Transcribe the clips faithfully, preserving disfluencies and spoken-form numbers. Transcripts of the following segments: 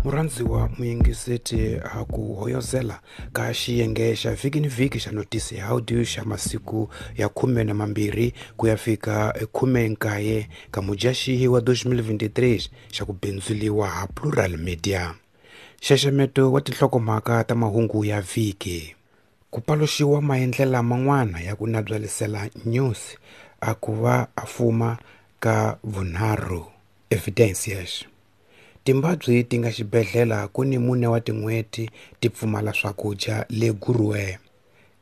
Murhandziwa muyingiseti a ku hoyozela ka xiyenge xa vhiki ni vhiki xa notisi ya audio xa masiku ya khume na mambirhi ku ya fika khume nkaye ka Mudyaxihi wa twenty twenty-three xa ku bindzuliwa ha Plural Media. Nxaxameto wa tinhlokomhaka ta mahungu ya vhiki. Ku paluxiwa maendlela man'wana ya ku nabyalisela news a ku va a fuma ka vunharhu. Evidencias. Timbabwe ti nga xibedhlele ku ni mune wa tin'hweti ti pfumala swakudya le Guruwe.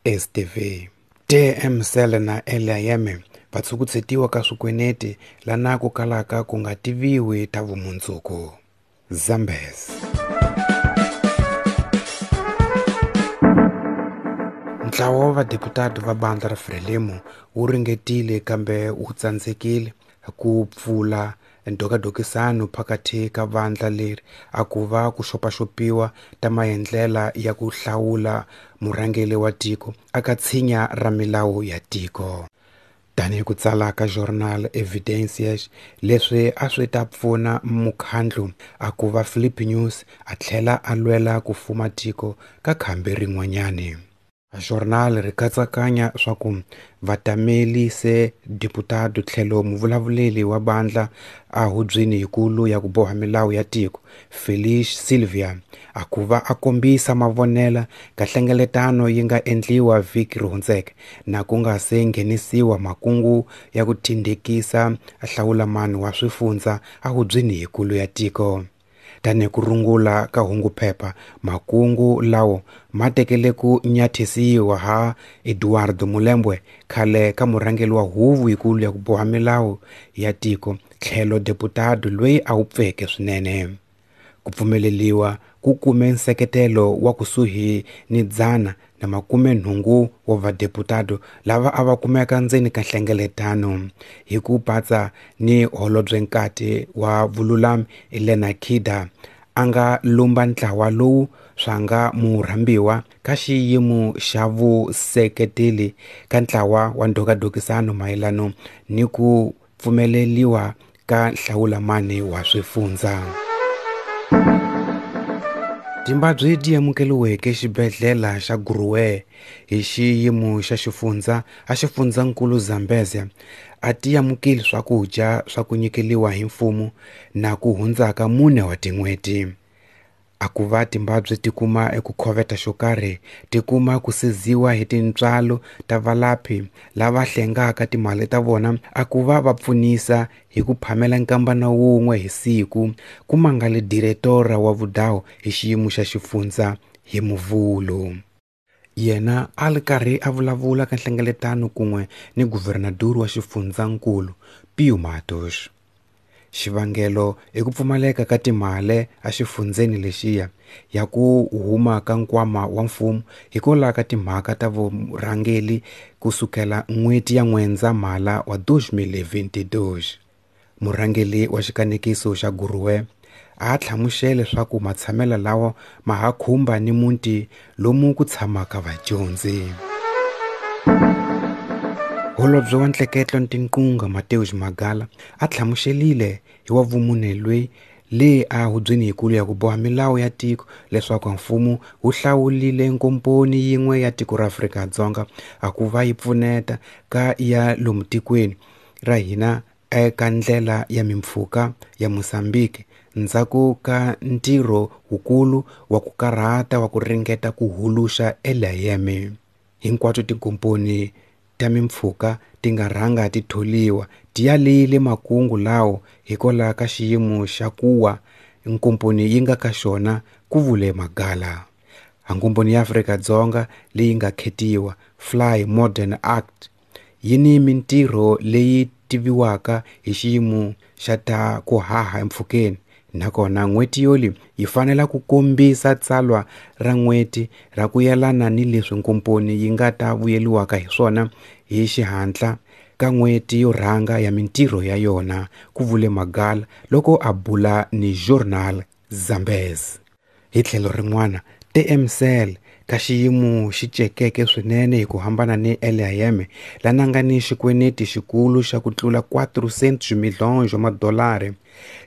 S T V. T M Cell na L I M va tshukutshetiwa ka swikweneti lana ku kalaka ku nga tiviwi ta vumundzuku. Zambezi. Ntlawa wa vadeputati va bandla ra Frelimo wu ringetile kambe wu tsandzekile ku pfula ndokadokisano phakathi ka vandla leri a ku va ku xopaxopiwa ta maendlela ya ku hlawula murhangeri wa tiko aka tshinya ra milawu ya tiko. Tanihi ku tsala ka Jornal Evidencias, leswi a swi ta pfuna mukhandlu a ku va Filipe Nyusi a tlhela a lwela ku fuma tiko ka khambi rin'wanyani. Jornal ri katsakanya swa ku vatameli se deputado tlhelo muvulavuleri wa bandla a hubyeni yikulu ya ku boha milawu ya tiko Felice Silvia a ku va a kombisa mavonela ka hlengeletano yi nga endliwa vhiki ri hundzeke na ku nga se nghenisiwa makungu ya ku tindekisa hlawulamani wa swifundza a hubyeni yikulu ya tiko. Tanihi ku rungula ka hunguphepha makungu lawo ma tekele ku nyathisiwa ha Eduardo Mulembwe khale ka murhangeri wa huvo yikulu ya ku boha milawu ya tiko tlhelo deputado loyi a wupfeke swinene. Ku pfumeleliwa ku kume nseketelo wa kusuhi ni dzana na makume nhungu wa vadeputado lava a va kumeka ndzeni ka nhlengeletano hi ku patsa ni holobyenkati wa vululami Elena Kida a nga lumba ntlawa lowu swa nga murhambiwa ka xiyimo xa vuseketeli ka ntlawa wa ndokadokisano mayelano ni ku pfumeleliwa ka nhlawulamani wa swifundza. Timbabwe ti amukeriweke xibedhlele xa Guruwe hi xiyimo xa xifundza a xifundzankulu Zambezia a ti amukeli swakudya swa ku nyikeliwa hi mfumo na ku hundzaka mune wa tin'hweti. A ku va Timbabwe ti kuma eku khoveta xo karhi ti kuma ku siziwa hi tintswalo ta valaphi lava hlengaka timali ta vona a ku va va pfunisa hi ku phamela nkambana wun'we hi siku ku mangale diretora wa vudawu hi xiyimo xa xifundza hi Muvhulo. Yena a ri karhi a vulavula ka nhlengeletano kun'we ni guvernador wa xifundzankulu Pio Matos. Xivangelo i ku pfumaleka ka timali exifundzeni lexiya ya ku huma ka nkwama wa mfumo hikwalaho ka timhaka ta vurhangeri kusukela n'hweti ya N'wendzamhala wa twenty twenty-two. Murhangeri wa xikanekiso xa Guruwe a hlamusele leswaku matshamelo lawa ma ha khumba ni muti lomu ku tshamaka vadyondzi. Holobye wa ntleketlo Ntinqunga Mateus Magala a hlamuselile hi wa vumune loyi le a hubyeni yikulu ya ku boha milawu ya tiko leswaku mfumo wu hlawulile nkomponi yin'we ya tiko ra Afrika-Dzonga a ku va yi pfuneta ka ya lomu tikweni ra hina eka ndlela ya mimpfhuka ya Mozambique ndzhaku ka ntirho wukulu wa ku karhata wa ku ringeta ku huluxa L I M. Hinkwato tinkomponi ta mimpfhuka ti nga rhanga ti tholiwa ti yalile makungu lawo hikwalaho ka xiyimo xa kuwa nkomponi yi nga ka xona, ku vule Magala. Nkomponi ya Afrika-Dzonga leyi nga khetiwa Fly Modern Act yi ni mintirho leyi tiviwaka hi xiyimo xa ta ku haha empfhukeni nakona n'hweti yoli yi fanela ku kombisa tsalwa ra n'hweti ra ku yelana ni leswi nkomponi yi nga ta vuyeliwaka hi swona hi xihatla ka n'hweti yo rhanga ya mintirho ya yona, ku vule Magala loko a bula ni Journal Zambezi. Hi tlhelo rin'wana, T M Cell Ka xiyimo xi cekeke swinene hi ku hambana ni L I M lana nga ni xikweneti xikulu xa ku tlula quatrocentos milhões wa madolari,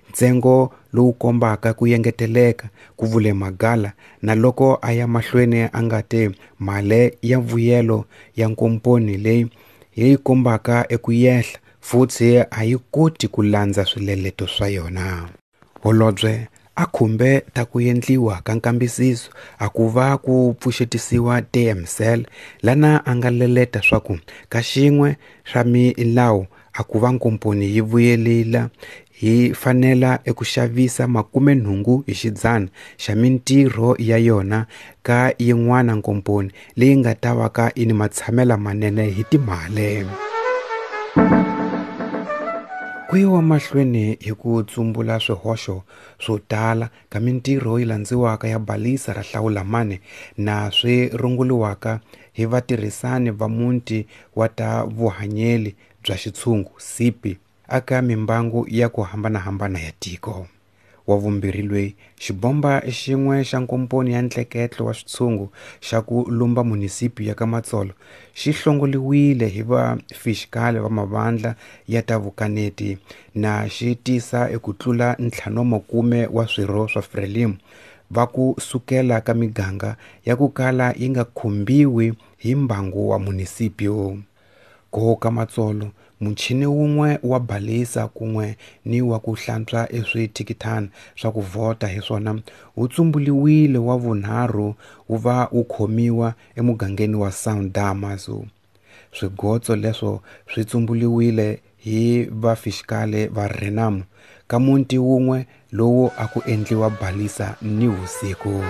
ntsengo lowu kombaka ku engeteleka, ku vule Magala, na loko a ya mahlweni a nga te mali ya vuyelo ya nkomponi leyi yi kombaka eku yehla futhi a yi koti ku landza swileleto swa yona. Holobye a khumbe ta ku endliwa ka nkambisiso a ku va ku pfuxetisiwa T M C L lana a nga leleta swa ku ka xin'we xa milawu a ku va nkomponi yi vuyelela hi fanela eku xavisa makume nhungu hi xidzana xa mintirho ya yona ka yin'wana nkomponi leyi nga ta va ka yi ni matshamela manene hi timali. Ku yiwa mahlweni hi ku tsumbula swihoxo swo tala ka mintirho yi landziwaka ya balisa ra hlawulamani na swi runguriwaka hi vatirhisani va muti wa ta vuhanyeli bya xitshungu C P aka mimbangu ya ku hambanahambana ya tiko. Wa vumbirhi loyi xibomba xin'we xa nkomponi ya ntleketlo wa switshungu xa ku lumba munisipi ya ka Matsolo xi hlongoliwile hi va fisikali va mavandla ya ta vukaneti na xi tisa eku tlula ntlhanu wa makume wa swirho swa Frelimo va ku sukela ka miganga ya ku kala yi nga khumbiwi hi mbangu wa munisipio. Ko ka Matsolo muchini wun'we wa balisa kun'we ni wa ku hlantswa eswithikithana swa ku vhota hi swona wu tsumbuliwile wa vunharhu wu va wu khomiwa emugangeni wa São Damaso. Swigotso leswo swi tsumbuliwile hi vafisikali va Renamo ka muti wun'we lowu a ku endliwa balisa ni vusiku.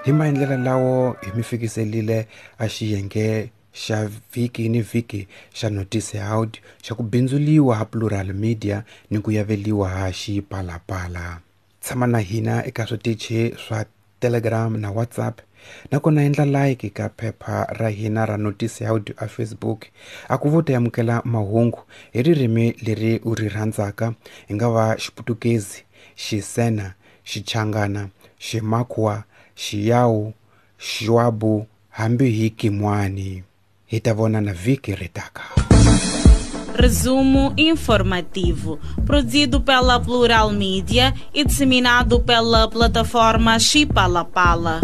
Hi maendlelo lawo hi mi fikiselile a xiyenge xa vhiki ni vhiki xa Notice Out xa ku bindzuliwa ha Plural Media ni ku yaveliwa ha Xipalapala. Tshama na hina eka switichi swa Telegram na WhatsApp, nakona endla like ka phepha ra hina ra Notice Out a Facebook. A ku vo ta amukela mahungu hi ririmi leri u ri rhandzaka, hi nga va Xiputukezi, Xisena, Xichangana, Ximakwa, Xiyawu, Xiwabu, hambi hi Kimwani. Hi ta vonana vhiki ri taka. Resumo informativo, produzido pela Plural Mídia e disseminado pela plataforma Xipalapala.